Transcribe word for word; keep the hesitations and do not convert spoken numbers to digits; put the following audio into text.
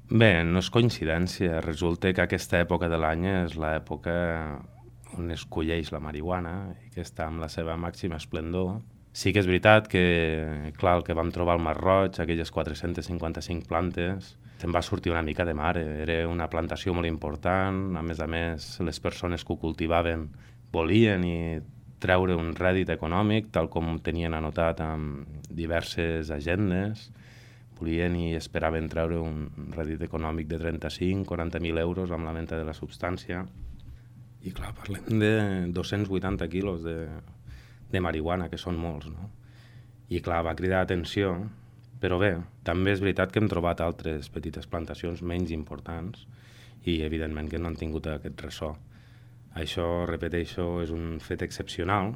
Bé, no és coincidència. Resulta que aquesta època de l'any és l'època on es colleix la marihuana i que està amb la seva màxima esplendor. Sí que és veritat que, clar, el que vam trobar al Mar Roig, aquelles quatre-centes cinquanta-cinc plantes, se'n va sortir una mica de mare. Era una plantació molt important, a més a més les persones que ho cultivaven volien i treure un rèdit econòmic, tal com tenien anotat amb diverses agendes. Volien i esperaven treure un rèdit econòmic de trenta-cinc a quaranta mil euros amb la venda de la substància. I clar, parlem de dos-cents vuitanta quilos de, de marihuana, que són molts, no? I clar, va cridar atenció, però bé, també és veritat que hem trobat altres petites plantacions menys importants i evidentment que no han tingut aquest ressò. Això, repeteixo, és un fet excepcional,